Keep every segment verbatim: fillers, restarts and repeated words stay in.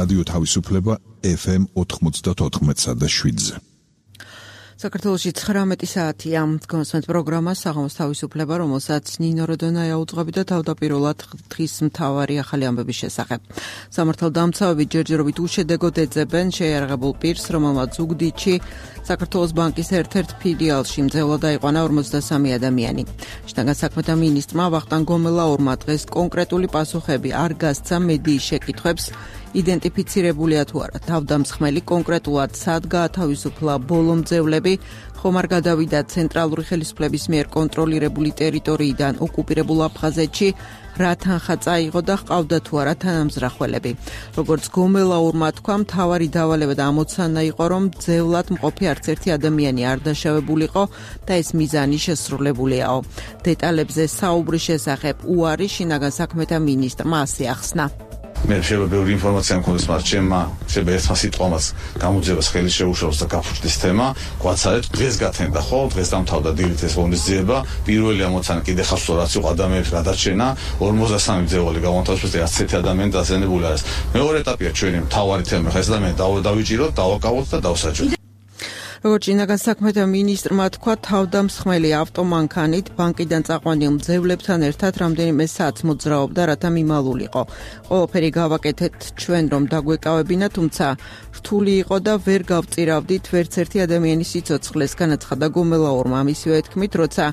რადიო თავისუფლება ეფ ემ ოთხმოცდაოთხ და შვიდზე. საქართველოში ცხრამეტი საათია გონსვენთ პროგრამა საღამოს თავისუფლება, რომელსაც ნინო როდონაია უძღვები და თავდაპირველად დღის მთავარი ახალი ამბების შესახებ. სამართალდამცავები ჯერჯერობით უშედეგოდ ეძებენ შეიარაღებულ პირს, რომელმაც ზუგდიდში საქართველოს ბანკის ერთ-ერთ ფილიალში მძევლად აიყვანა ორმოცდასამი ადამიანი. შინაგან საქმეთა მინისტრმა ვახტანგ გომელაურმა დღეს კონკრეტული პასუხები არ გასცა მედიის შეკითხვებს, იდენტიფიცირებულია თუ არა თავდამსხმელი, კონკრეტულად სად გაათავისუფლა ბოლო მძევლები, ხომ არ გადავიდა ცენტრალური ხელისუფლების მიერ კონტროლირებული ტერიტორიიდან ოკუპირებულ აფხაზეთში, რა თანხა წაიღო და ჰყავდა თუ არა თანამზრახველები. როგორც გომელაურმა თქვა, მთავარი დავალება და ამოცანა იყო, რომ მძევლად მყოფი არც ერთი ადამიანი არ დაშავებულიყო და ეს მიზანი შესრულებულიაო. დეტალებზე საუბრის შესახებ უარი შინაგან საქმეთა მინისტრმა ასე ახსნა. მე შეიძლება ბევრი ინფორმაცია მქონდეს, მაგრამ ჩემმა შეიძლება ერთმა სიტყვამაც გამოძიებას ხელი შეუშალოს და გაფუჭდეს თემა. გვაცარეთ, დღეს გათენდა ხო, დღეს დამთავრდა დილით ეს ღონისძიება. პირველი ამოცანა კიდე ხასო რაც იყო ადამიანების გადარჩენა, ორმოცდასამი მძევალი გამოთავისუფლეს და ასეთი ადამიანი დაზიანებული არის. მეორე ეტაპია ჩვენი მთავარი თემა, ხა ეს ადამიანი დავიჭიროთ, დავაკავოთ და დავსაჯოთ. როგორც შინაგან საქმეთა მინისტრმა თქვა, თავდამსხმელი ავტომანქანით ბანკიდან წაყვანილ მძევლებთან ერთად რამდენიმე საათს მოძრაობდა, რათა მიმალულიყო. ყველაფერი გავაკეთეთ ჩვენ, რომ დაგვეკავებინა, თუმცა რთული იყო და ვერ გავწირავდით ვერც ერთი ადამიანის სიცოცხლეს, განაცხადა გომელაურმა. მისივე თქმით, როცა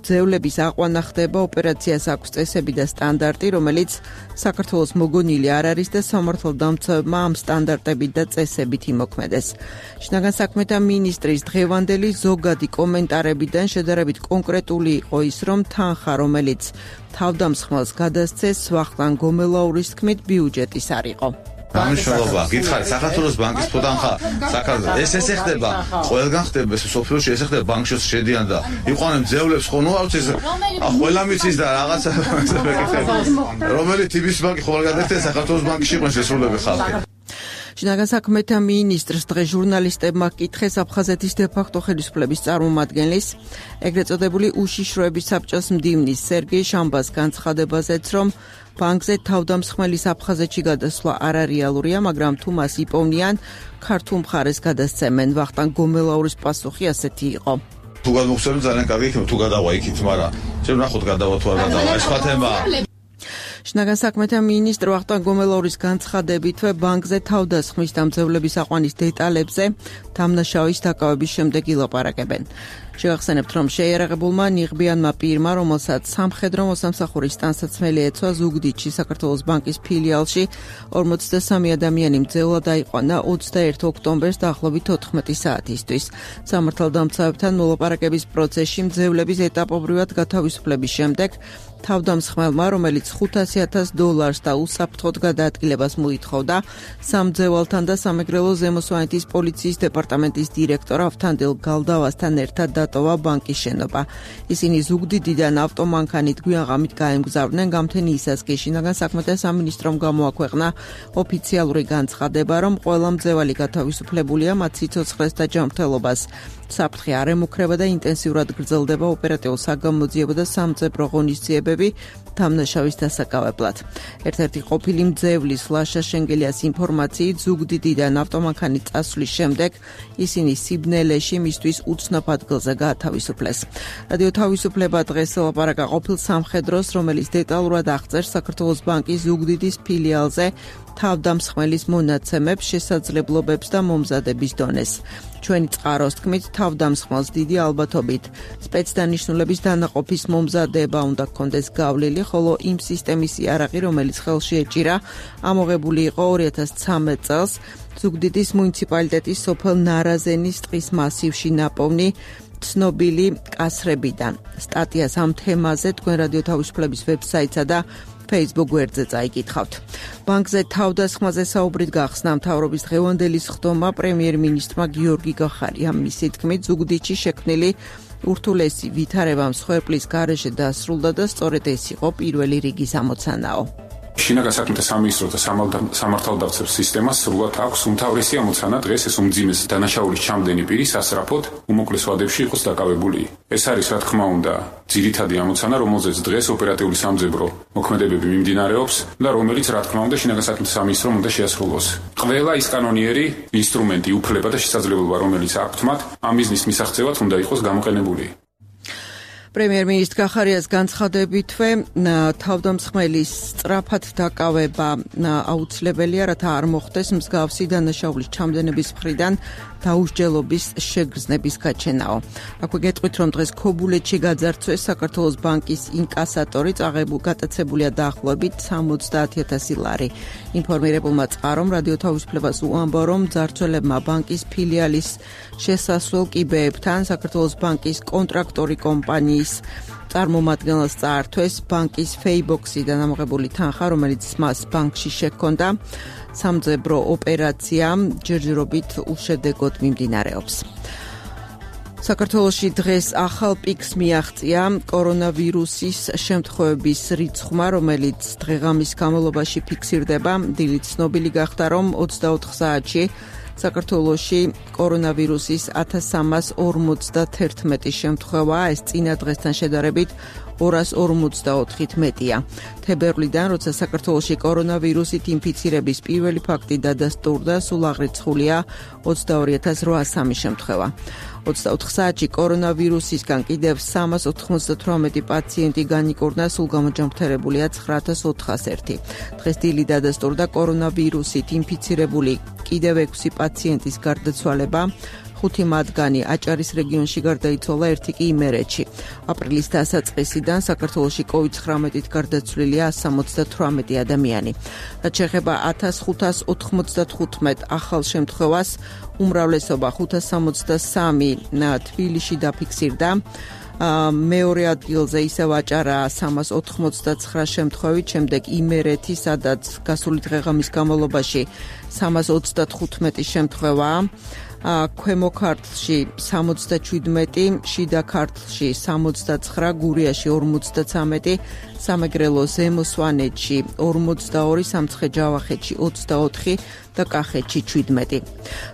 მძევლების აყვანა ხდება, ოპერაციას აქვს წესები და სტანდარტი, რომელიც საქართველოს მოგონილი არ არის და სამართალდამცავებმა ამ სტანდარტებით და წესებით იმოქმედეს. შინაგან საქმეთა მინისტრის დღევანდელი ზოგადი კომენტარებიდან შედარებით კონკრეტული იყო ის, რომ თანხა, რომელიც თავდამსხმელს გადასცეს, ვახტანგ გომელაურის თქმით, ბიუჯეტის არ იყო. გამიშველობა, გითხარით, საქართველოს ბანკის ფუდანხა, საქართველოს ეს ესე ხდება, ყველგან ხდება, ეს სოფლიოში ესე ხდება, ბანკში შედიან და იყვნენ მძევლებს, ხო, ნუ არ ვიცი, ყველა მიცის და რაღაცა რომელი ტიპის ბანკი ხო არ გადაერთია საქართველოს ბანკში იყვნენ შესრულები ხალხი. შინაგან საქმეთა მინისტრს დღეს ჟურნალისტებმა კითხეს აფხაზეთის დე-ფაქტო ხელისუფლების წარმომადგენლის, ეგრეთ წოდებული უშიშროების საბჭოს მდივნის სერგეი შამბას განცხადებაზეც, რომ ბანკზე თავდამსხმელის აფხაზეთში გადასვლა არარეალურია, მაგრამ თუ მას იპოვნიან, ქართულ მხარეს გადასცემენ. ვახტანგ გომელაურის პასუხი ასეთი იყო. თუ გადმოგცემენ ძალიან კარგი იქნება, თუ გადავა იქით, მაგრამ შენ ნახოთ გადავა თუ არ გადავა, ეს სხვა თემაა. შინაგან საქმეთა მინისტრ ვახტანგ გომელაურის განცხადებითვე ბანკზე თავდასხმის და მძევლების აყვანის დეტალებზე დამნაშავის დაკავების შემდეგ ილაპარაკებენ. შევახსენებთ, რომ შეიარაღებულმა ნიღბიანმა პირმა, რომელსაც სამხედრო მოსამსახურის ტანსაცმელი ეცვა, ზუგდიდში საქართველოს ბანკის ფილიალში ორმოცდასამი ადამიანი მძევლად აიყვანა ოცდაერთი ოქტომბერს დაახლოებით ოთხმეტი საათისთვის. სამართალდამცავებთან მოლაპარაკების პროცესში მძევლების ეტაპობრივად გათავისუფლების შემდეგ თავდამსხმელმა, რომელიც ხუთასი ათას დოლარს და უსაფრთხოდ გადაადგილებას მოითხოვდა, სამძევალთან და სამეგრელო ზემო სვანეთის პოლიციის დეპარტამენტის დირექტორ ავთანდილ გალდავასთან ერთად დატოვა ბანკის შენობა. ისინი ზუგდიდიდან ავტომანქანით გვიანღამით გაემგზავრნენ გამთენიისას კი შინაგან საქმეთა სამინისტრომ გამოაქვეყნა ოფიციალური განცხადება, რომ ყველა მძევალი გათავისუფლებულია, მათ სიცოცხლეს და ჯანმრთელობას საფრთხე არ ემუქრება და ინტენსიურად გრძელდება ოპერატიულ საგამოძიებო და სამწებრო ღონისძიებები დამნაშავის დასაკავებლად. ერთ-ერთი ყოფილი მძევლის ლაშა შენგელიას ინფორმაციით, ზუგდიდიდან ავტომანქანით წასვლის შემდეგ ისინი სიბნელეში მისთვის უცნობ ადგილზე გაათავისუფლეს. რადიო თავისუფლება დღეს ელაპარაკა ყოფილ სამხედროს, რომელიც დეტალურად აღწერს საქართველოს ბანკის ზუგდიდის ფილიალზე თავდამსხმელის მონაცემებს, შესაძლებლობებს და მომზადების დონეს. ჩვენი წყაროს თქმით, თავდამსხმელს დიდი ალბათობით სპეცდანიშნულების დანაყოფის მომზადება უნდა ჰქონდეს გავლილი, ხოლო იმ სისტემის იარაღი, რომელიც ხელში ეჭირა, ამოღებული იყო ორი ათას ცხრამეტ წელს ზუგდიდის მუნიციპალიტეტის სოფელ ნარაზენის ტყის მასივში ნაპოვნი ცნობილი კასრებიდან. სტატიას ამ თემაზე თქვენ რადიო თავისუფლების ვებსაიტსა და Facebook გვერდზე წაიკითხავთ. ბანკზე თავდასხმაზე საუბრით გახსნა მთავრობის დღევანდელი სხდომა პრემიერ-მინისტრმა გიორგი გახარიამ. მისი თქმით, ზუგდიდში შექმნილი ურთულესი ვითარება მსხვერპლის გარეშე დასრულდა და სწორედ ეს იყო პირველი რიგის ამოცანაო. შინაგან საქმეთა სამინისტროს და სამართალდამცავ სისტემას სრულად აქვს უმთავრესი ამოცანა დღეს ეს უმძიმეს დანაშაულის ჩამდენი პირი სასწრაფოდ უმოკლეს ვადებში იყოს დაკავებული. ეს არის რა თქმა უნდა ძირითადი ამოცანა, რომელზეც დღეს ოპერატიული სამძებრო მოქმედებები მიმდინარეობს და რომელიც რა თქმა უნდა შინაგან საქმეთა სამინისტრომ უნდა შეასრულოს. ყველა ის კანონიერი ინსტრუმენტი, უფლება და შესაძლებლობა, რომელიც აქვთ მათ, ამ მიზნის მისაღწევად უნდა იყოს გამოყენებული. პრემიერ-მინისტრ კახარიას განცხადებითვე თავდამსხმელის სწრაფად დაკავება აუცილებელია, რათა არ მოხდეს მსგავსი დანაშაულის ჩამდენების მხრიდან დაუსჯელობის შეგრძნების გაჩენაო. აქვე გეტყვით, რომ დღეს ქობულეთში გაძარცვეს საქართველოს ბანკის ინკასატორი, გატაცებულია დაახლოებით სამოცდაათი ათასი ლარი. ინფორმირებულმა წყარომ რადიო თავისუფლებას უამბო, რომ ძარცველებმა ბანკის ფილიალის შესასვლელ კიბეებთან საქართველოს ბანკის კონტრაქტორი კომპანიის წარმომადგენელს წაართვეს ბანკის ფეიბოქსიდან ამოღებული თანხა, რომელიც მას ბანკში შეჰქონდა. სამძებრო ოპერაცია ჯერჯერობით უშედეგოდ მიმდინარეობს. საქართველოში დღეს ახალ პიკს მიაღწია კორონავირუსის შემთხვევების რიცხვმა, რომელიც დღეღამის განმავლობაში ფიქსირდება. დილით ცნობილი გახდა, რომ ოცდაოთხ საათში საქართველოში კორონავირუსის ათას სამას ორმოცდათერთმეტი შემთხვევა, ეს წინა დღესთან შედარებით ორას ორმოცდაოთხით მეტია. თებერვლიდან, როცა საქართველოში კორონავირუსით ინფიცირების პირველი ფაქტი დადასტურდა, სულ აღრიცხულია ოცდაორი ათას რვასამი შემთხვევა. ოცდაოთხ საათში კორონავირუსისგან კიდევ სამას ოთხმოცდათვრამეტი პაციენტი განიკურნა, სულ გამოჯანმრთელებულია ცხრა ათას ოთხას ერთი. დღეს დილით დადასტურდა კორონავირუსით ინფიცირებული კიდევ ექვსი პაციენტის გარდაცვალება. ხუთი მათგანი აჭარის რეგიონში გარდაიცვალა, ერთი კი იმერეთში. აპრილის დასაწყისიდან საქართველოში კოვიდ ცხრამეტით გარდაცვლილია ასი სამოცდათვრამეტი ადამიანი. რაც შეეხება ათას ხუთას ოთხმოცდათხუთმეტ ახალ შემთხვევას, უმრავლესობა ხუთას სამოცდასამი თბილისში დაფიქსირდა. მეორე ადგილზე ისევ აჭარაა სამას ოთხმოცდაცხრა შემთხვევით, შემდეგ იმერეთი, სადაც გასული დღეღამის განმავლობაში სამას ოცდათხუთმეტი შემთხვევაა. ქვემო ქართლში სამოცდაჩვიდმეტი, შიდა ქართლში სამოცდაცხრა, გურიაში ორმოცდაცამეტი, სამეგრელო ზემო სვანეთში ორმოცდაორი, სამცხე-ჯავახეთში ოცდაოთხი და კახეთში ჩვიდმეტი.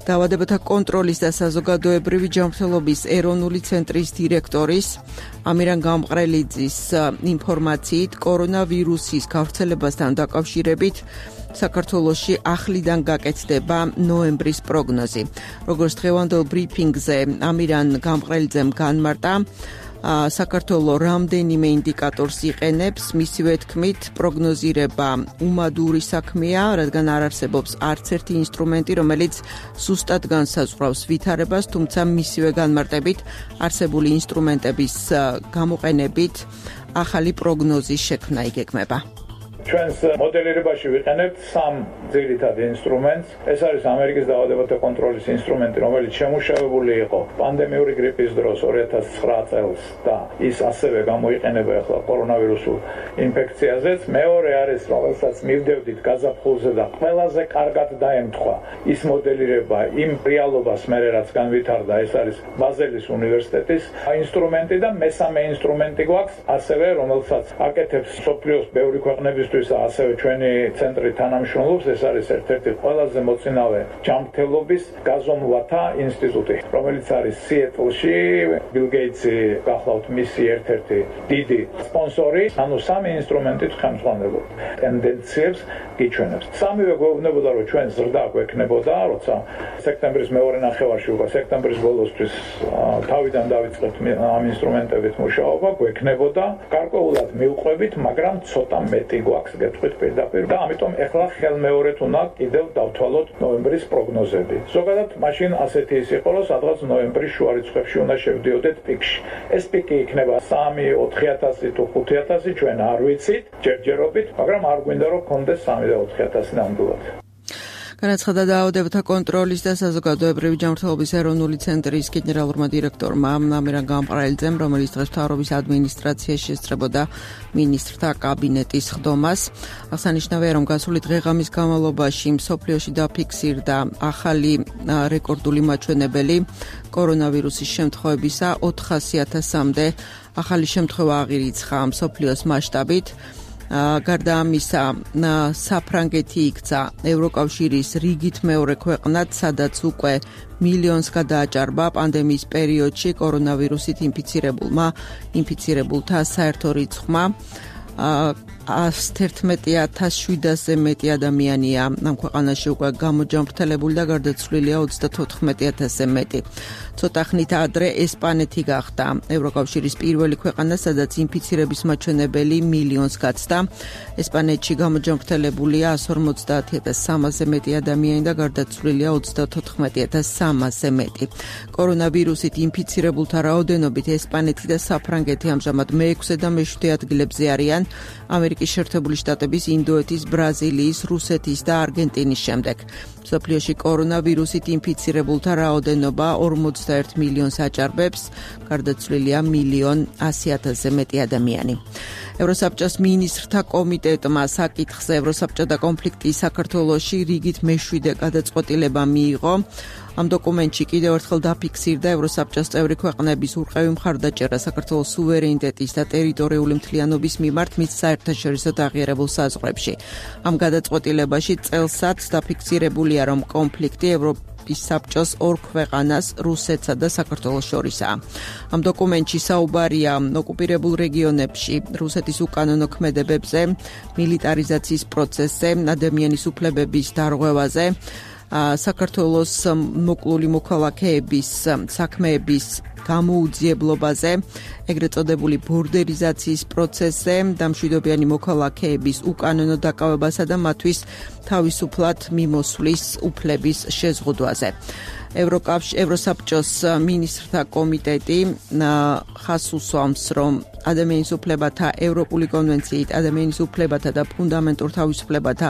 დაავადებათა კონტროლის და საზოგადოებრივი ჯანმრთელობის ეროვნული ცენტრის დირექტორის ამირან გამყრელიძის ინფორმაციით, კორონავირუსის გავრცელებასთან დაკავშირებით საქართველოში ახლიდან გაკეთდება ნოემბრის პროგნოზი. როგორც დღევანდელ ბრიფინგზე ამირან გამყრელიძემ განმარტა, საქართველო რამდენიმე ინდიკატორს იყენებს, მისივე თქმით, პროგნოზირება უმადური საქმეა, რადგან არ არსებობს არც ერთი ინსტრუმენტი, რომელიც სუსტად განსაზღვრავს ვითარებას, თუმცა მისივე განმარტებით არსებული ინსტრუმენტების გამოყენებით ახალი პროგნოზის შექმნა იგეგმება. ჩვენს მოდელირებაში ვიყენებთ სამ ძირითად ინსტრუმენტს. ეს არის ამერიკის დაავადებათა კონტროლის ინსტრუმენტი, რომელიც შემუშავებული იყო პანდემიური გრიპის დროს ორი ათას ცხრა წელს და ის ასევე გამოიყენება ახლა კორონავირუსულ ინფექციაზეც. მეორე არის, რომელსაც მივდევდით გაზაფხულზე და ყველაზე კარგად დაემთხვა ის მოდელირება იმ რეალობას მერე რაც განვითარდა, ეს არის ბაზელის უნივერსიტეტის ინსტრუმენტი და მესამე ინსტრუმენტი გვაქვს ასევე, რომელსაც აკეთებს მსოფლიოს ბევრი ქვეყნების ასევე ჩვენი ცენტრი თანამშრომლობს. ეს არის ერთ-ერთი ყველაზე მოწინავე ჯანმრთელობის გაზომვათა ინსტიტუტი, რომელიც არის სიეტლში. ბილ გეიტსი გახლავთ მისი ერთ-ერთი დიდი სპონსორი. ანუ სამი ინსტრუმენტით ხელმძღვანელობთ ტენდენციებს გიჩვენებს. სამივე გვეუბნებოდა, რომ ჩვენ ზრდა გვექნებოდა, როცა სექტემბრის მეორე ნახევარში უკვე სექტემბრის ბოლოსთვის თავიდან დავიწყებთ ამ ინსტრუმენტებით მუშაობა, გვექნებოდა. გარკვეულად მივყვებით, მაგრამ ცოტა მეტი გვაქვს გეტყვით პირდაპირ და ამიტომ ეხლა ხელმეორედ უნდა კიდევ დავთვალოთ ნოემბრის პროგნოზები. ზოგადად მაშინ ასეთი ის იყო, რომ სადღაც ნოემბრის შუა რიცხვებში უნდა შევდიოდეთ პიკში. ეს პიკი იქნება სამი ოთხი ათასი თუ ხუთი ათასი, ჩვენ არ ვიცით ჯერჯერობით, მაგრამ არ გვინდა რომ გქონდეს სამი და ოთხი ათასი ნამდვილად. განაცხადა დაავადებათა კონტროლის და საზოგადოებრივი ჯანმრთელობის ეროვნული ცენტრის გენერალურმა დირექტორმა ამირან გამყრელიძემ, რომელიც დღეს მთავრობის ადმინისტრაციაში ესწრებოდა მინისტრთა კაბინეტის ხდომას. აღსანიშნავია, რომ გასული დღეღამის განმავლობაში მსოფლიოში დაფიქსირდა ახალი რეკორდული მაჩვენებელი კორონავირუსის შემთხვევებისა, ოთხასი ათასამდე ახალი შემთხვევა აღირიცხა მსოფლიოს მასშტაბით. გარდა ამისა, საფრანგეთი იქცა ევროკავშირის რიგით მეორე ქვეყნად, სადაც უკვე მილიონს გადააჭარბა პანდემიის პერიოდში კორონავირუსით ინფიცირებულმა ინფიცირებულთა საერთო რიცხვმა. ას თერთმეტი ათას შვიდასზე მეტი ადამიანია ამ ქვეყანაში უკვე გამოჯანმრთელებული და გარდაცვლილია ოცდათოთხმეტი ათასზე მეტი. ცოტა ხნით ადრე ესპანეთი გახდა ევროკავშირის პირველი ქვეყანა, სადაც ინფიცირების მაჩვენებელი მილიონს გაცდა. ესპანეთში გამოჯანმრთელებულია ას ორმოცდაათი ათას სამასზე მეტი ადამიანი და გარდაცვლილია ოცდათოთხმეტი ათას სამასზე მეტი. კორონავირუსით ინფიცირებულთა რაოდენობით ესპანეთი და საფრანგეთი ამჟამად მეექვსე და მეშვიდე ადგილებზე არიან ამერიკის შეერთებული შტატების, ინდოეთის, ბრაზილიის, რუსეთის და არგენტინის შემდეგ. მსოფლიოში კორონავირუსით ინფიცირებულთა რაოდენობა ორმოცდაერთ მილიონს აჭარბებს, გარდაცვლილია მილიონ ასი ათასზე მეტი ადამიანი. ევროსაბჭოს მინისტრთა კომიტეტმა საკითხზე ევროსაბჭო და კონფლიქტი საქართველოში რიგით მეშვიდე გადაწყვეტილება მიიღო. ამ დოკუმენტში კიდევ ერთხელ დაფიქსირდა ევროსაბჭოს წევრი ქვეყნების ურყევი მხარდაჭერა საქართველოს სუვერენიტეტის და ტერიტორიული მთლიანობის მიმართ მის საერთაშორისო დაღიარებულ საზღვრებში. ამ გადაწყვეტილებაში წელსაც დაფიქსირებულია, რომ კონფლიქტი ევროპის საბჭოს ორ ქვეყანას, რუსეთსა და საქართველოს შორისაა. ამ დოკუმენტში საუბარია ოკუპირებულ რეგიონებში რუსეთის უკანონო ქმედებებზე, მილიტარიზაციის პროცესზე, ადამიანის უფლებების დარღვევაზე, საქართველოს მოკლული მოქალაქეების საქმეების გამოუძიებლობაზე, ეგრეთ წოდებული ბორდერიზაციის პროცესზე, დამშვიდობიანი მოქალაქეების უკანონო დაკავებასა და მათთვის თავისუფლად მიმოსვლის უფლების შეზღუდვაზე. ევროსაბჭოს მინისტრთა კომიტეტი ხაზს უსვამს, რომ ადამიანის უფლებათა ევროპული კონვენციით ადამიანის უფლებათა და ფუნდამენტურ თავისუფლებათა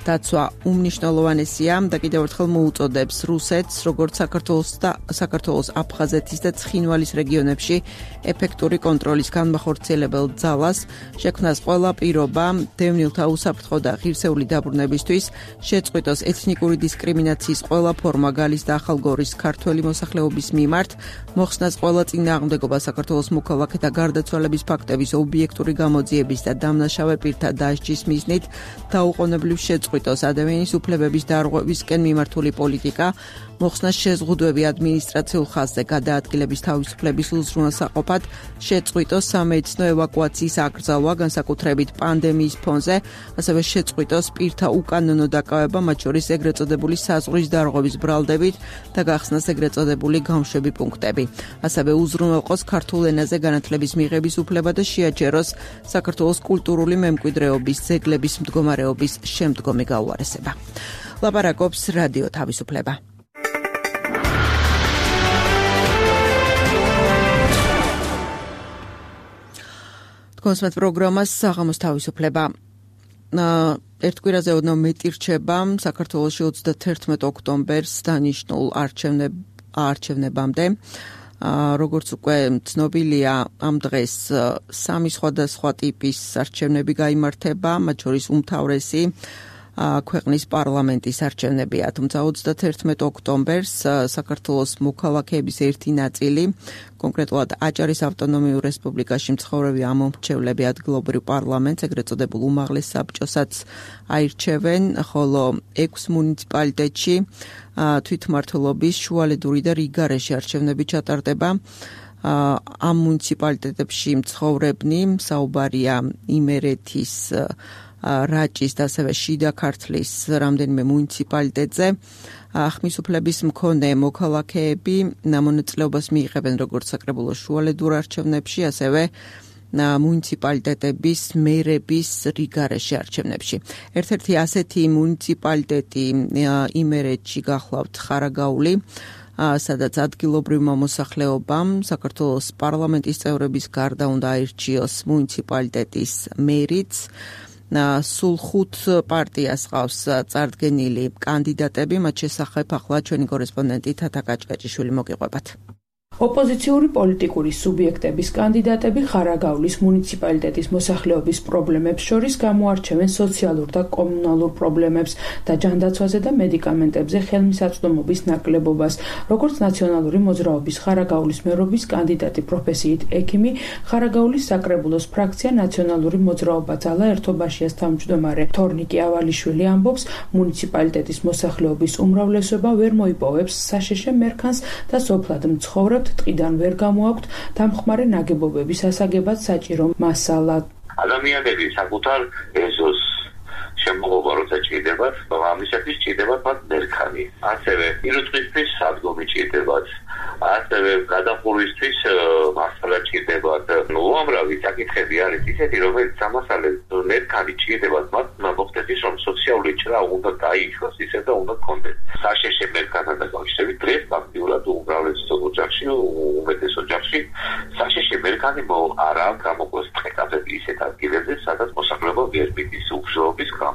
დაცვა უმნიშვნელოვანესია და კიდევ ერთხელ მოუწოდებს რუსეთს, როგორც საქართველოს და საქართველოს აფხაზეთის და ცხინვალის რეგიონებში ეფექტური კონტროლის განმახორციელებელ ძალას, შექმნას ყველა პირობა დევნილთა უსაფრთხო და ღირსეული დაბრუნებისთვის, შეწყვიტოს ეთნიკური დისკრიმინაციის ყველა ფორმა გალის და ახალგორის ქართველი მოსახლეობის მიმართ, მოხსნას ყველა წინააღმდეგობა საქართველოს მოქალაქეთა გარდაცვალების ფაქტების ობიექტური გამოძიების და დამნაშავე პირთა დასჯის მიზნით დაუყოვნებლივ შეწყვიტოს ადამიანის უფლებების დარღვევისკენ მიმართული პოლიტიკა, მოხსნას შეზღუდვები ადმინისტრაციულ ხაზზე გადაადგილების თავისუფლების უზრუნველსაყოფად, შეწყვიტოს სამედიცინო ევაკუაციის აკრძალვა, განსაკუთრებით პანდემიის ფონზე, ასევე შეწყვიტოს პირთა უკანონო დაკავება, მათ შორის ეგრეთ წოდებული საზღვრის დარღვევის ბრალდებით და გახსნას ეგრეთ წოდებული გამშვები პუნქტები. ასევე უზრუნველყოს ქართულ ენაზე განათლების მიღების უფლება და შეაჩეროს საქართველოს კულტურული მემკვიდრეობის ძეგლების მდგომარეობის შემდგომი გაუარესება. ლაპარაკობს რადიო თავისუფლება. კონსმეთ პროგრამას საღამოს თავისუფლება. ერთ კვირაზე ოდნავ მეტი რჩება საქართველოში ოცდათერთმეტ ოქტომბერს დანიშნულ არჩევნებამდე. როგორც უკვე ცნობილია, ამ დღეს სამი სხვადასხვა ტიპის არჩევნები გაიმართება, მათ შორის უმთავრესი ქვეყნის პარლამენტის არჩევნებია. თუმცა ოცდათერთმეტ ოქტომბერს საქართველოს მოქალაქეების ერთი ნაწილი, კონკრეტულად აჭარის ავტონომიურ რესპუბლიკაში მცხოვრები ამომრჩევლები ადგილობრივ პარლამენტს, ეგრეთ წოდებულ უმაღლეს საბჭოსაც აირჩევენ, ხოლო ექვს მუნიციპალიტეტში თვითმმართველობის, შუალედური და რიგარეში არჩევნები ჩატარდება. ამ მუნიციპალიტეტებში მცხოვრებნი საუბარია იმერეთის, რაჭის და ასევე შიდა ქართლის რამდენიმე მუნიციპალიტეტზე. ხმისუფლების მქონე მოქალაქეები მონაწილეობას მიიღებენ როგორც საკრებულო შუალედურ არჩევნებში, ასევე მუნიციპალიტეტების მერების რიგარეში არჩევნებში. ერთ-ერთი ასეთი მუნიციპალიტეტი იმერეთში გახლავთ ხარაგაული, სადაც ადგილობრივმა მოსახლეობამ საქართველოს პარლამენტის წევრების გარდა უნდა აირჩიოს მუნიციპალიტეტის მერიც. სულ ხუთ პარტიას ყავს წარდგენილი კანდიდატები, მათ შესახებ ახლა ჩვენი კორესპონდენტი თათა კაჭკაჭიშვილი მოგიყვებათ. ოპოზიციური პოლიტიკური სუბიექტების კანდიდატები ხარაგაულის მუნიციპალიტეტის მოსახლეობის პრობლემებს შორის გამოარჩევენ სოციალურ და კომუნალურ პრობლემებს და ჯანდაცვაზე და მედიკამენტებზე ხელმისაწვდომობის ნაკლებობას. Როგორც ნაციონალური მოძრაობის ხარაგაულის მერობის კანდიდატი პროფესიით ექიმი, ხარაგაულის საკრებულოს ფრაქცია ნაციონალური მოძრაობა ძალა ერთობაშიას თავმჯდომარე თორნიკე ავალიშვილი ამბობს, მუნიციპალიტეტის მოსახლეობის უმრავლესობა ვერ მოიპოვებს საშეშე მერქანს და სოფლად მცხოვრებ ტყიდან ვერ გამოაქვთ დამხმარე ნაგებობების ასაგებად საჭირო მასალა. ადამიანები საკუთარ ეზოს შემოღობა როცა ჭირდებათ, ამისათვის ჭირდებათ მათ მერქანი. ასევე ირუტყისთვის სადგომი ჭირდებათ. ასევე გადახურვისთვის მასალა ჭირდებათ. უამრავი საკითხები არის ისეთი, რომელიც ამასალებს მერქანი ჭირდებათ მათ მოხდეს ის, რომ სოციალური ჭრა უნდა დაიშვას ისე და უნდა კონდეს. საშეშე მერქანთან დაკავშირებით დღეს ფაქტიურად უმრავლეს ოჯახში, უმეტეს ოჯახში საშეშე მერქანი არა გამოგვეს ტყეპები ისეთ ადგილებზე, სადაც მოსახლეობა ვერ მიდის უბრძოლების გამო.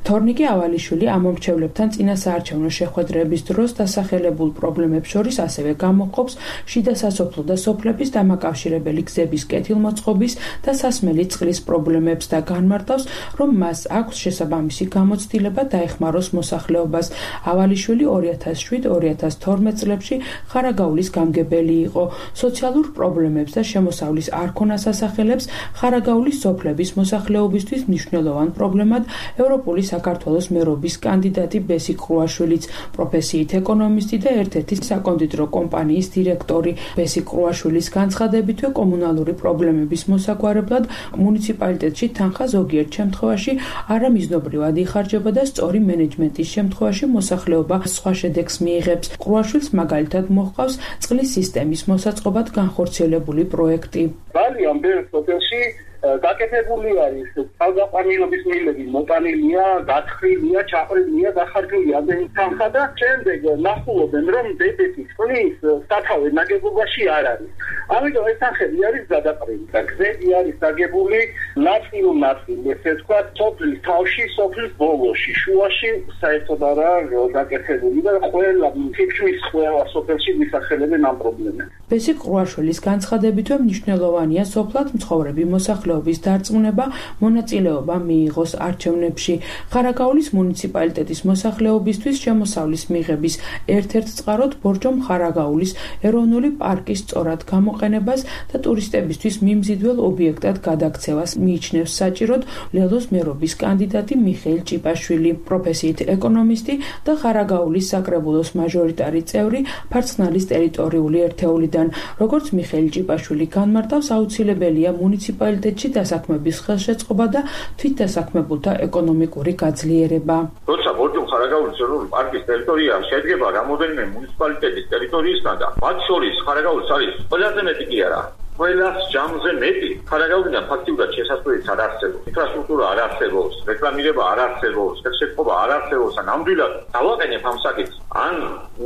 თორნიკე ავალიშვილი ამომრჩევლებთან წინასაარჩევნო შეხვედრების დროს დასახელებულ პრობლემებს შორის ასევე გამოჰყოფს შიდა სასოფლო და სოფლების დამაკავშირებელი გზების კეთილმოწყობის და სასმელი წყლის პრობლემებს და განმარტავს, რომ მას აქვს შესაბამისი გამოცდილება დაეხმაროს მოსახლეობას. ავალიშვილი ორი ათას შვიდ ორი ათას თორმეტ წლებში ხარაგაულის გამგებელი იყო. სოციალურ პრობლემებს და შემოსავლის არ ქონას ასახელებს ხარაგაულის სოფლების მოსახლეობისთვის მნიშვნელოვან პრობლემად ევროპული საქართველოს მერობის კანდიდატი ბესი კრუაშვილიც, პროფესიით ეკონომისტი და ერთ-ერთი საკონდიტრო კომპანიის დირექტორი. ბესი კრუაშვილის განცხადებითვე კომუნალური პრობლემების მოსაგვარებლად მუნიციპალიტეტში თანხა ზოგიერთ შემთხვევაში არამიზნობრივად იხარჯება და სწორი მენეჯმენტის შემთხვევაში მოსახლეობა სხვა შედეგს მიიღებს. კრუაშვილს მაგალითად მოჰყავს წყლის სისტემის მოსაწყობად განხორციელებული პროექტი. ძალიან ბევრ სოფელში გაკეთებული არის თავგაყრილობის მილები, მოტანილია, გათხრილია, ჩაყრილია, დახარჯულია ამდენი თანხა და შემდეგ ნახულობენ, რომ დებეთის წყლის სათავე ნაგებობაში არ არის. ამიტომ ეს თანხები არის გადაყრილი და გზები არის დაგებული ნაწილ-ნაწილ, ესე ვთქვათ, სოფლის თავში, სოფლის ბოლოში, შუაში საერთოდ არა გაკეთებული და ყველა თითქმის ყველა სოფელში მისახელებენ ამ პრობლემებს. ბესი კრუაშვილის განცხადებითვე მნიშვნელოვანია სოფლად მცხოვრები მოსახლეობის დარწმუნება, მონაწილეობა მიიღოს არჩევნებში. ხარაგაულის მუნიციპალიტეტის მოსახლეობისთვის შემოსავლის მიღების ერთ-ერთ წყაროდ ბორჯომ ხარაგაულის ეროვნული პარკის სწორად გამოყენებას და ტურისტებისთვის მიმზიდველ ობიექტად გადაქცევას მიიჩნევს საჭიროდ ლელოს მერობის კანდიდატი მიხეილ ჭიპაშვილი, პროფესიით ეკონომისტი და ხარაგაულის საკრებულოს მაჟორიტარი წევრი ფარცხნალის ტერიტორიული ერთეულიდან. როგორც მიხეილ ჭიპაშვილი განმარტავს, აუცილებელია მუნიციპალიტეტში დასაქმების ხელშეწყობა და თვითდასაქმებულთა ეკონომიკური გაძლიერება. როცა ბორჯომ ხარაგაულის ეროვნული პარკის ტერიტორია შედგება რამოდენიმე მუნიციპალიტეტის ტერიტორიისგან და მათ შორის ხარაგაულის არის ყველაზე მეტი კი არა. ყველას ჯამზე მეტი ხარაგაულიდან ფაქტიურად შესაძლოა არ არსებობს, ინფრასტრუქტურა არ არსებობს, რეკლამირება არ არსებობს, ხელშეწყობა არ არსებობს, ან ნამდვილად დავაყენებ ამ საკითხს, ან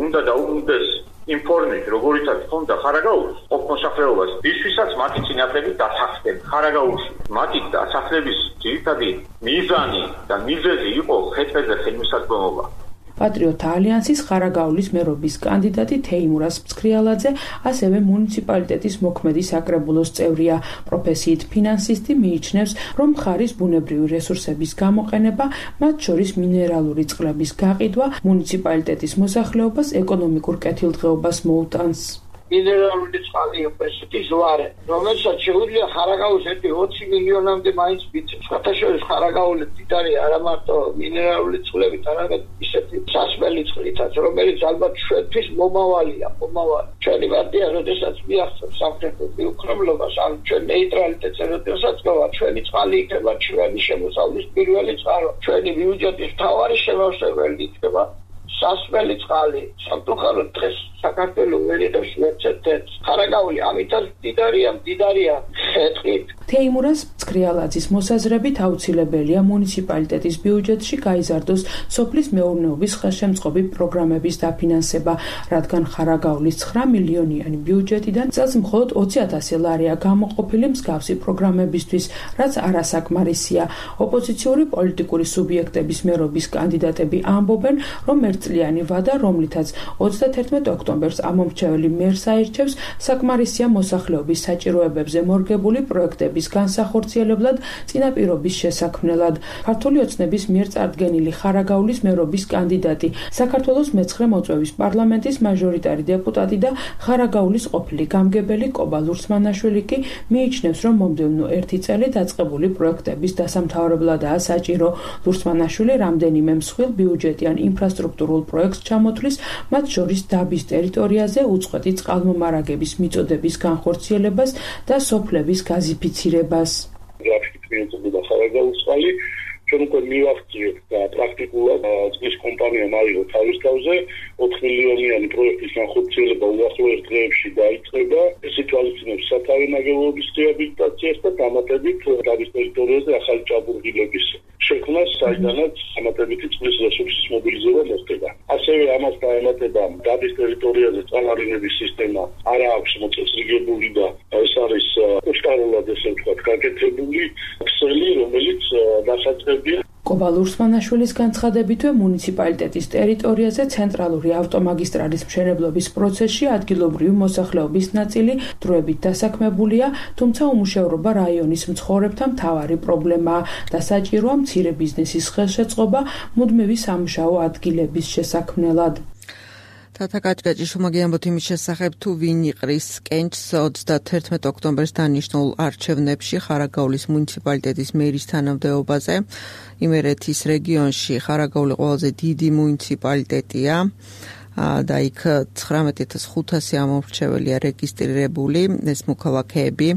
უნდა დაუბრუნდეს ინფორმით, როგორიცაც ჰქონდა ხარაგაულის ყოფ მოსახლეობას, ისვისაც მათი წინაპრები დასახლდნენ ხარაგაულში. მათი დასახლების ძირითადი მიზანი და მიზეზი იყო ხეთებზე ხელმისაწვდომობა. პატრიოტთა ალიანსის ხარაგაულის მერობის კანდიდატი თეიმურას მცქრიალაძე ასევე მუნიციპალიტეტის მოქმედი საკრებულოს წევრია. პროფესიით ფინანსისტი მიიჩნევს, რომ მხარის ბუნებრივი რესურსების გამოყენება, მათ შორის მინერალური წყლების გაყიდვა, მუნიციპალიტეტის მოსახლეობას ეკონომიკურ კეთილდღეობას მოუტანს. მინერალური წყალი ესეთი ზვარე, რომელსაც შეუძლია ხარაგაულს ერთი ოცი მილიონამდე მაინც მიწევს. სხვათაშორის ხარაგაული მდიდარი არა მარტო მინერალური წყლებით, არამედ ისეთი სასმელი წყლითაც, რომელიც ალბათ ჩვენთვის მომავალია, მომავალი. ჩვენი პარტია, როდესაც მიაღწევს სამხრეთის უქრომლობას, ან ჩვენ ნეიტრალიტეტს, როდესაც გავა, ჩვენი წყალი იქნება ჩვენი შემოსავლის პირველი წყარო. ჩვენი ბიუჯეტის მთავარი შემავსებელი იქნება სასმელი წყალი. სამწუხაროდ დღეს საქართველოს ვერ იღებს მეცეთებს. ხარაგაული ამითაც მდიდარია, მდიდარია ხეთყით. თეიმურას მცქრიალაძის მოსაზრებით აუცილებელია მუნიციპალიტეტის ბიუჯეტში გაიზარდოს სოფლის მეურნეობის ხელშემწყობი პროგრამების დაფინანსება, რადგან ხარაგაულის ცხრა მილიონიანი ბიუჯეტიდან წელს მხოლოდ ოცი ათასი ლარია გამოყოფილი მსგავსი პროგრამებისთვის, რაც არასაკმარისია. ოპოზიციური პოლიტიკური სუბიექტების მერობის კანდიდატები ამბობენ, რომ ერთ ერთწლიანი ვადა, რომლითაც ოცდათერთმეტ ოქტომბერს ამომრჩეველი მერს აირჩევს, საკმარისია მოსახლეობის საჭიროებებზე მორგებული პროექტების განსახორციელებლად წინაპირობის შესაქმნელად. ქართული ოცნების მიერ წარდგენილი ხარაგაულის მერობის კანდიდატი, საქართველოს მეცხრე მოწვევის პარლამენტის მაჟორიტარი დეპუტატი და ხარაგაულის ყოფილი გამგებელი კობა ლურსმანაშვილი კი მიიჩნევს, რომ მომდევნო ერთი წელი დაწყებული პროექტების დასამთავრებლადაა საჭირო. ლურსმანაშვილი რამდენიმე მსხვილ ბიუჯეტიან ინფრასტრუქტურულ პროექტს ჩამოთვლის, მათ შორის დაბის ტერიტორიაზე უწყვეტი წყალმომარაგების მიწოდების განხორციელებას და სოფლების გაზიფიცირებას. ჩვენ უკვე მივახციეთ და პრაქტიკულად წყლის კომპანიამ აიღო თავის თავზე ოთხ მილიონიანი პროექტის განხორციელება უახლო ერთ დღეებში დაიწყება. ეს ითვალისწინებს სათავე ნაგებობის რეაბილიტაციას და დამატებით დაბის ტერიტორიაზე ახალი ჭაბურღილების შექმნას, საიდანაც დამატებითი წყლის რესურსის მობილიზება მოხდება. ასევე ამას დაემატება დაბის ტერიტორიაზე წყალარინების სისტემა არა აქვს მოწესრიგებული და ეს არის უსტარულად ესე ვთქვათ გაკეთებული ქსელი, რომელიც დასაწყებია. კობა ლურსმანაშვილის განცხადებითვე მუნიციპალიტეტის ტერიტორიაზე ცენტრალური ავტომაგისტრალის მშენებლობის პროცესში ადგილობრივი მოსახლეობის ნაწილი დროებით დასაქმებულია, თუმცა უმუშევრობა რაიონის მცხოვრებთა მთავარი პრობლემაა და საჭიროა მცირე ბიზნესის ხელშეწყობა მუდმივი სამუშაო ადგილების შესაქმნელად. თათა კაჭკაჭიშვილმა მოგიამბოთ იმის შესახებ, თუ ვინ იყრის კენჭს ოცდათერთმეტ ოქტომბერს დანიშნულ არჩევნებში ხარაგაულის მუნიციპალიტეტის მერის თანამდებობაზე. იმერეთის რეგიონში ხარაგაული ყველაზე დიდი მუნიციპალიტეტია და იქ ცხრამეტ ათას ხუთასი ამომრჩეველია რეგისტრირებული. ეს მოქალაქეები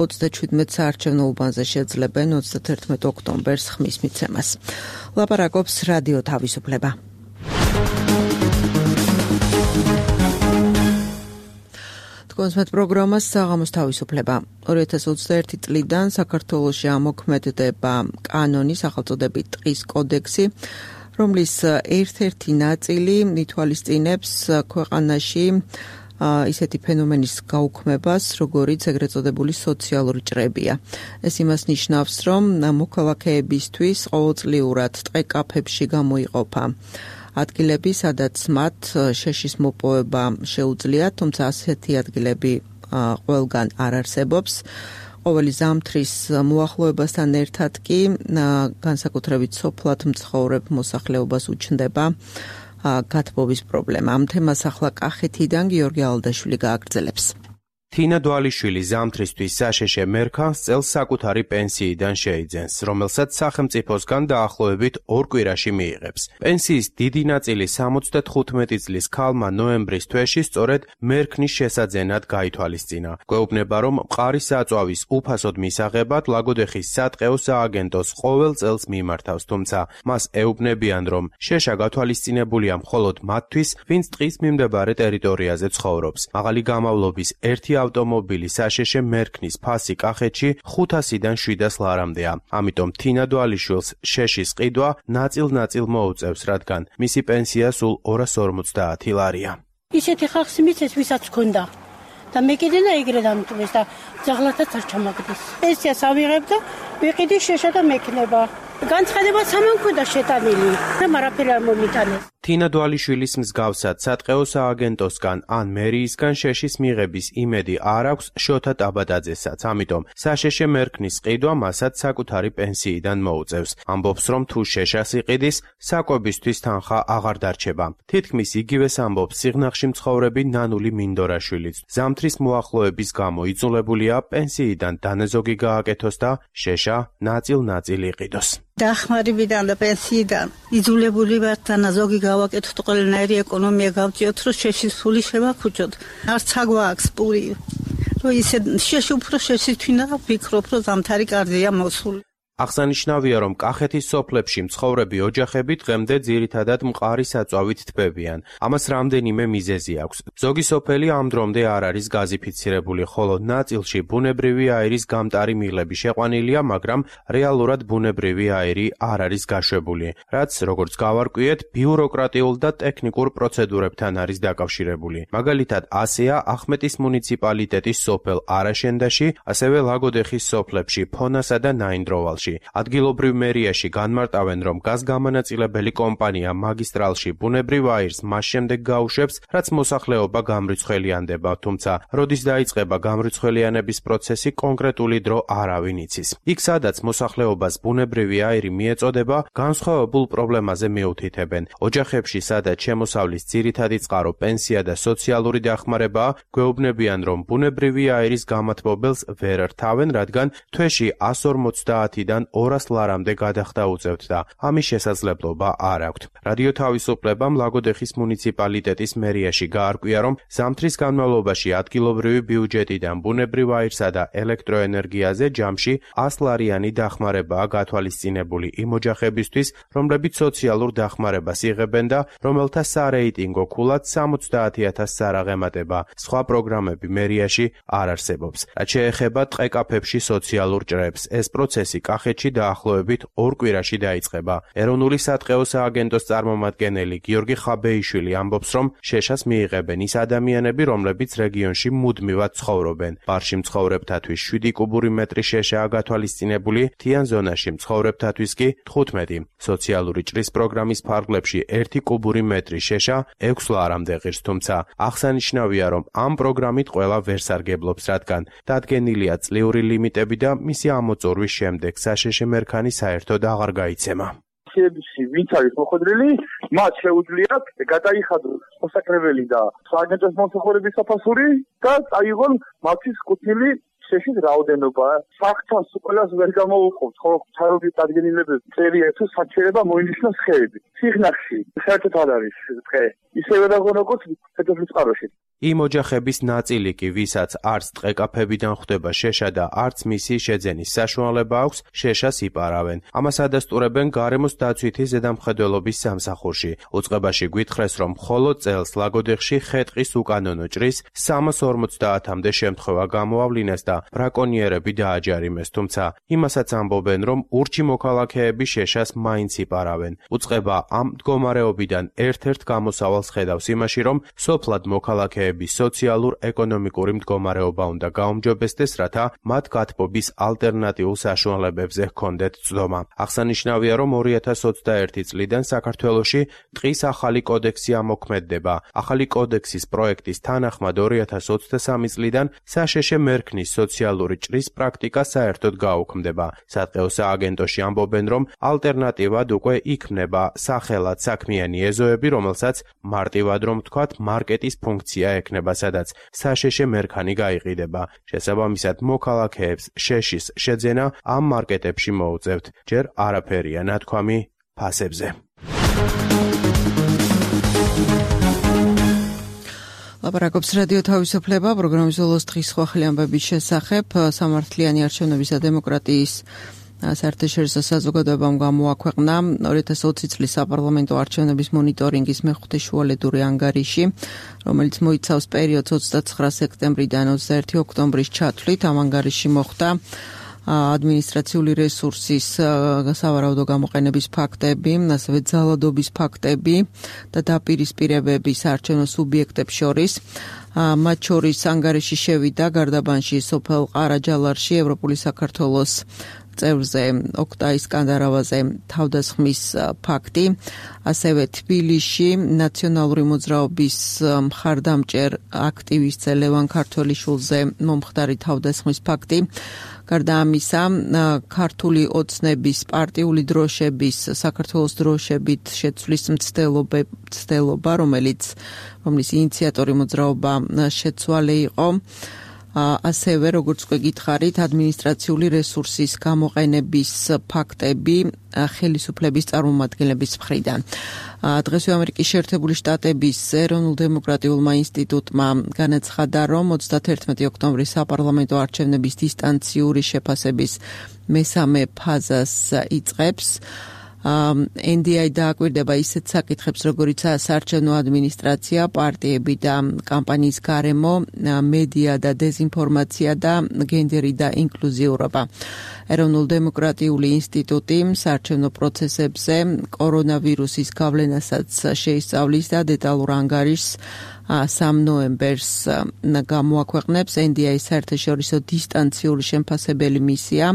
ოცდაჩვიდმეტ საარჩევნო უბანზე შეძლებენ ოცდათერთმეტ ოქტომბერს ხმის მიცემას. ლაპარაკობს რადიო თავისუფლება. კონსმეთ პროგრამას საღამოს თავისუფლება. ორი ათას ოცდაერთი წლიდან საქართველოში ამოქმედდება კანონი, სახელწოდებით ტყის კოდექსი, რომლის ერთ-ერთი ნაწილი ითვალისწინებს ქვეყანაში ისეთი ფენომენის გაუქმებას, როგორიც ეგრეთ წოდებული სოციალური ჭრებია. ეს იმას ნიშნავს, რომ მოქალაქეებისთვის ყოველწლიურად ტყე-კაფეებში გამოიყოფა ადგილები, სადაც მათ შეშის მოპოვება შეუძლიათ, თუმცა ასეთი ადგილები ყველგან არ არსებობს. ყოველი ზამთრის მოახლოებასთან ერთად კი განსაკუთრებით სოფლად მცხოვრებ მოსახლეობას უჩნდება გათბობის პრობლემა. ამ თემას ახლა კახეთიდან გიორგი ალდაშვილი გააგრძელებს. თინა დვალიშვილი ზამთრისთვის საშეშე მერქანს წელს საკუთარი პენსიიდან შეიძენს, რომელსაც სახელმწიფოსგან დაახლოებით ორ კვირაში მიიღებს. პენსიის დიდი ნაწილი სამოცდათხუთმეტი წლის ქალმა ნოემბრის თვეში სწორედ მერქნის შესაძენად გაითვალისწინა. გვეუბნება, რომ მყარი საწვავის უფასოდ მისაღებად ლაგოდეხის სატყეო სააგენტოს ყოველ წელს მიმართავს, თუმცა მას ეუბნებიან, რომ შეშა გათვალისწინებულია მხოლოდ მათთვის, ვინც ტყის მიმდებარე ტერიტორიაზე ცხოვრობს. მაღალი გამავლობის ერთი ავტომობილი საშეშე მერქნის ფასი კახეთში ხუთასიდან შვიდას ლარამდეა. ამიტომ თინა დვალიშვილს შეშის ყიდვა ნაწილ-ნაწილ მოუწევს, რადგან მისი პენსია სულ ორას ორმოცდაათი ლარია. ისეთი ხალხს მიცეს, ვისაც ჰქონდა და მე კიდე და ეგრე დამტვეს და ძაღლათაც არ ჩამაგდეს. პენსიას ავიღებ და ვიყიდი შეშა და მექნება. განცხადება სამანქოდა შეტანილი და მარაფერი არ მომიტანეს. თინა დვალიშვილის მსგავსად სატყეო სააგენტოსგან ან მერიისგან შეშის მიღების იმედი არ აქვს შოთა ტაბადაძესაც, ამიტომ საშეშე მერქნის ყიდვა მასაც საკუთარი პენსიიდან მოუწევს. ამბობს, რომ თუ შეშას იყიდის, საკვებისთვის თანხა აღარ დარჩება. თითქმის იგივეს ამბობს სიღნაღში მცხოვრები ნანული მინდორაშვილიც. ზამთრის მოახლოების გამო იძულებულია პენსიიდან დანაზოგი გააკეთოს და შეშა ნაწილ-ნაწილ იყიდოს. დახმარებიდან და პენსიიდან იძულებული ვართ დანაზოგი გავაკეთოთ, ყველანაირი ეკონომია გავწიოთ, რომ შეშის ფული შევაფუჭოთ. არც აგვაქვს პური, რომ ისე შეში უფრო შეშითვინა ვფიქრობ, რომ ზამთარი კარგია მოსული. აღსანიშნავია, რომ კახეთის სოფლებში მცხოვრები ოჯახები დღემდე ძირითადად მყარი საწვავით თბებიან. ამას რამდენიმე მიზეზი აქვს. ზოგი სოფელი ამ დრომდე არ არის გაზიფიცირებული, ხოლო ნაწილში ბუნებრივი აირის გამტარი მიღლები შეყვანილია, მაგრამ რეალურად ბუნებრივი აირი არ არის გაშვებული, რაც, როგორც გავარკვიეთ, ბიუროკრატიულ და ტექნიკურ პროცედურებთან არის დაკავშირებული. მაგალითად, ასეა ახმეტის მუნიციპალიტეტის სოფელ არაშენდაში, ასევე ლაგოდეხის სოფლებში, ფონასა და ნაინდროვალში. სოფელში. ადგილობრივ მერიაში განმარტავენ, რომ გაზგამანაწილებელი კომპანია მაგისტრალში ბუნებრივ აირს მას შემდეგ გაუშვებს, რაც მოსახლეობა გამრიცხველიანდება, თუმცა როდის დაიწყება გამრიცხველიანების პროცესი, კონკრეტული დრო არავინ იცის. იქ, სადაც მოსახლეობას ბუნებრივი აირი მიეწოდება, განსხვავებულ პრობლემაზე მიუთითებენ. ოჯახებში, სადაც შემოსავლის ძირითადი წყარო პენსია და სოციალური დახმარებაა, გვეუბნებიან, რომ ბუნებრივი აირის გამათბობელს ვერ რთავენ, რადგან თვეში εκατს ორმოცდაათიდან ორას ლარამდე გადახდა უწევთ და ამის შესაძლებლობა არ აქვთ. რადიო თავისუფლებამ ლაგოდეხის მუნიციპალიტეტის მერიაში გაარკვია, რომ ზამთრის განმავლობაში ადგილობრივი ბიუჯეტიდან ბუნებრივ აირსა და ელექტროენერგიაზე ჯამში ას ლარიანი დახმარებაა გათვალისწინებული იმ ოჯახებისთვის, რომლებიც სოციალურ დახმარებას იღებენ და რომელთა სარეიტინგო ქულად სამოცდაათი ათასს არ აღემატება. სხვა პროგრამები მერიაში არ არსებობს. რაც შეეხება ტყე-კაფეებში სოციალურ ჭრებს, ეს პროცესი კახეთში დაახლოებით ორ კვირაში დაიწყება. ეროვნული სატყეო სააგენტოს წარმომადგენელი გიორგი ხაბეიშვილი ამბობს, რომ შეშას მიიღებენ ის ადამიანები, რომლებიც რეგიონში მუდმივად ცხოვრობენ. ბარში მცხოვრებთათვის შვიდი კუბური მეტრი შეშაა გათვალისწინებული, მთიან ზონაში მცხოვრებთათვის კი თხუთმეტი. სოციალური ჭრის პროგრამის ფარგლებში ერთი კუბური მეტრი შეშა ექვს ლარამდე ღირს, თუმცა აღსანიშნავია, რომ ამ პროგრამით ყველა ვერ სარგებლობს, რადგან დადგენილია წლიური ლიმიტები და მისი ამოწურვის შემდეგ საშეშე მერქანი საერთოდ აღარ გაიცემა. ვინც არის მოხვედრილი, მათ შეუძლიათ გადაიხადოს მოსაკრებელი და სააგენტოს მომსახურების საფასური და წაიღონ მათთვის კუთვნილი შეშის რაოდენობა. საფრთხეს ყველას ვერ გამოუყოფთ, ხო თავის დადგენილებები წერია თუ საჭიროება მოინიშნოს ხეები. სიღნაღში საერთოდ არ არის ტყე. ისევე დაგონ როგორც ფედერალურ წყაროში. იმ ოჯახების ნაწილი კი, ვისაც არც ტყე-კაფეებიდან ხვდება შეშა და არც მისი შეძენის საშუალება აქვს, შეშას იპარავენ. ამას ადასტურებენ გარემოს დაცვითი ზედამხედველობის სამსახურში. უწყებაში გვითხრეს, რომ მხოლოდ წელს ლაგოდეხში ხე-ტყის უკანონო ჭრის სამას ორმოცდაათამდე შემთხვევა გამოავლინეს და ბრაკონიერები დააჯარიმეს, თუმცა იმასაც ამბობენ, რომ ურჩი მოქალაქეები შეშას მაინც იპარავენ. უწყება ამ მდგომარეობიდან ერთ-ერთ გამოსავალს ხედავს იმაში, რომ სოფლად მოქალაქეების სოციალურ-ეკონომიკური მდგომარეობა უნდა გაუმჯობესდეს, რათა მათ გათბობის ალტერნატიულ საშუალებებზე ჰქონდეთ ცდომა. აღსანიშნავია, რომ ორი ათას ოცდაერთი წლიდან საქართველოში ტყის ახალი კოდექსი ამოქმედდება. ახალი კოდექსის პროექტის თანახმად ორი ათას ოცდასამი წლიდან საშეშე მერქნის სოციალური ჭრის პრაქტიკა საერთოდ გაუქმდება. სატყეო სააგენტოში ამბობენ, რომ ალტერნატივად უკვე იქმნება სახელად საქმიანი ეზოები, რომელსაც მარტივად რომ ვთქვათ, მარკეტის ფუნქცია ექნება, სადაც საშეშე მერქანი გაიყიდება. შესაბამისად, მოქალაქეებს შეშის შეძენა ამ მარკეტებში მოუწევთ. ჯერ არაფერია ნათქვამი ფასებზე. ლაპარაკობს რადიო თავისუფლება, პროგრამის ზოლოს დღის სხვა ხელი ამბების შესახებ. სამართლიანი არჩევნების და დემოკრატიის საერთაშორისო საზოგადოებამ გამოაქვეყნა ორი ათას ოცი წლის საპარლამენტო არჩევნების მონიტორინგის მეხუთე შუალედური ანგარიში, რომელიც მოიცავს პერიოდს ოცდაცხრა სექტემბრიდან ოცდაერთი ოქტომბრის ჩათვლით. ამ ანგარიში მოხდა ადმინისტრაციული რესურსის სავარაუდო გამოყენების ფაქტები, ასევე ძალადობის ფაქტები და დაპირისპირებები საარჩევნო სუბიექტებს შორის. მათ შორის ანგარიში შევიდა გარდაბანში, სოფელ ყარაჯალარში, ევროპული საქართველოს წევრზე ოქტაის სკანდარავაზე თავდასხმის ფაქტი, ასევე თბილისში ნაციონალური მოძრაობის მხარდამჭერ აქტივისტზე ლევან ქართველიშვილზე მომხდარი თავდასხმის ფაქტი. გარდა ამისა, ქართული ოცნების პარტიული დროშების საქართველოს დროშებით შეცვლის მცდელობა, რომელიც რომლის ინიციატორი მოძრაობა შეცვალე იყო. ასევე, როგორც უკვე გითხარით, ადმინისტრაციული რესურსის გამოყენების ფაქტები ხელისუფლების წარმომადგენლების მხრიდან. დღესვე ამერიკის შეერთებული შტატების ეროვნულ-დემოკრატიულმა ინსტიტუტმა განაცხადა, რომ ოცდათერთმეტი ოქტომბრის საპარლამენტო არჩევნების დისტანციური შეფასების მესამე ფაზას იწყებს. ენ დი აი დააკვირდება ისეთ საკითხებს, როგორიცაა საარჩევნო ადმინისტრაცია, პარტიები და კამპანიის გარემო, მედია და დეზინფორმაცია და გენდერი და ინკლუზიურობა. ეროვნულ-დემოკრატიული ინსტიტუტი საარჩევნო პროცესებზე კორონავირუსის გავლენასაც შეისწავლის და დეტალურ ანგარიშს სამ ნოემბერს გამოაქვეყნებს ენ დი ეი-ის საერთაშორისო დისტანციური შემფასებელი მისია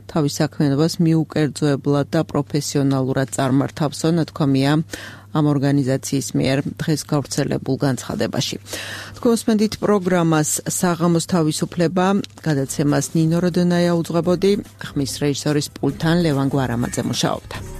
თავის საქმიანობას მიუკერძოებლად და პროფესიონალურად წარმართავსო, ნათქვამია ამ ორგანიზაციის მიერ დღეს გავრცელებულ განცხადებაში. თქვენსმენდით პროგრამას საღამოს თავისუფლება, გადაცემას ნინო როდონაია უძღვებოდი, ხმის რეჟისორის პულტთან ლევან გვარამაძე მუშაობდა.